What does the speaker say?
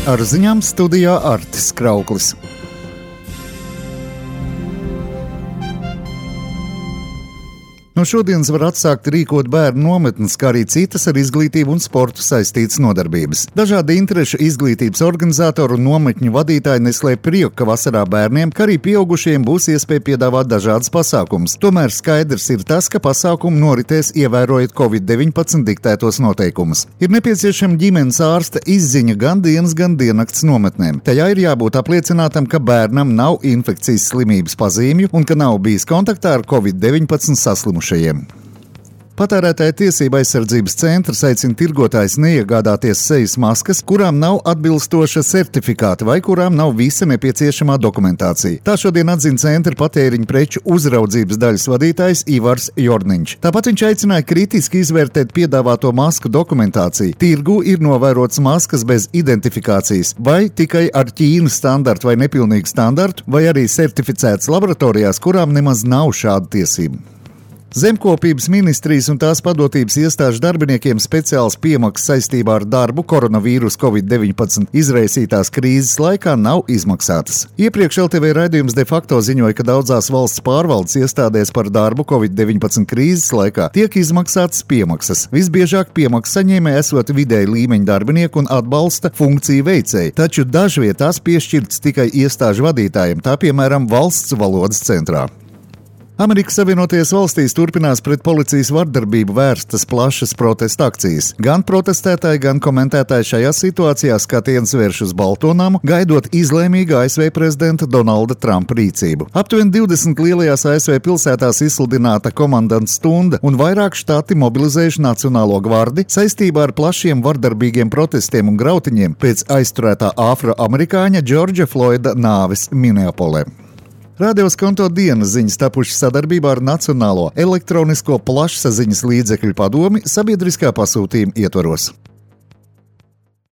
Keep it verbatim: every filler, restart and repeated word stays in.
Ar ziņām studijā Artis Krauklis. No šodienas var atsākt rīkot bērnu nometnes, kā arī citas ar izglītību un sportu saistītas nodarbības. Dažādi interešu izglītības organizatori un nometņu vadītāji neslēp prieku, ka vasarā bērniem, kā arī pieaugušiem būs iespēja piedāvāt dažādas pasākumus. Tomēr skaidrs ir tas, ka pasākumi noritēs ievērojot covid deviņpadsmit diktētos noteikumus. Ir nepieciešama ģimenes ārsta izziņa gan dienas, gan diennakts nometnēm. Tajā ir jābūt apliecinātam, ka bērnam nav infekcijas slimības pazīmju un ka nav bijis kontaktā ar covid deviņpadsmit saslimušajiem. Patērētāja tiesība aizsardzības centrs aicina tirgotājus neiegādāties sejas maskas, kurām nav atbilstoša certifikāta vai kurām nav visa nepieciešamā dokumentācija. Tā šodien atzina centra patēriņu preču uzraudzības daļas vadītājs Ivars Jorniņš. Tāpat viņš aicināja kritiski izvērtēt piedāvāto masku dokumentāciju. Tirgū ir novērots maskas bez identifikācijas, vai tikai ar Ķīnas standartu vai nepilnīgu standartu, vai arī certificētas laboratorijās, kurām nemaz nav šāda tiesība. Zemkopības ministrijas un tās padotības iestāžu darbiniekiem speciāls piemaksas saistībā ar darbu koronavīrus covid deviņpadsmit izraisītās krīzes laikā nav izmaksātas. Iepriekš L T V raidījums de facto ziņoja, ka daudzās valsts pārvaldes iestādēs par darbu covid deviņpadsmit krīzes laikā tiek izmaksātas piemaksas. Visbiežāk piemaksas saņēmēji esot vidēji līmeņa darbinieku un atbalsta funkciju veicēji, taču dažvietās piešķirts tikai iestāžu vadītājiem, tā piemēram valsts valodas centrā. Amerikas Savienotajās valstīs turpinās pret policijas vardarbību vērstas plašas protesta akcijas. Gan protestētāji, gan komentētāji šajā situācijā skatiens vērš uz Baltonamu, gaidot izlēmīgu A S V prezidenta Donalda Trumpa rīcību. Aptuveni divdesmit lielajās A S V pilsētās izsludināta komandanta stunda un vairāk štati mobilizējuši Nacionālo gvardi saistībā ar plašiem vardarbīgiem protestiem un grautiņiem pēc aizturētā afroamerikāņa Džordža Floida nāves Minneapolē. Radio Skonto dienas ziņas tapušas sadarbībā ar Nacionālo elektronisko plašsaziņas līdzekļu padomi sabiedriskā pasūtījuma ietvaros.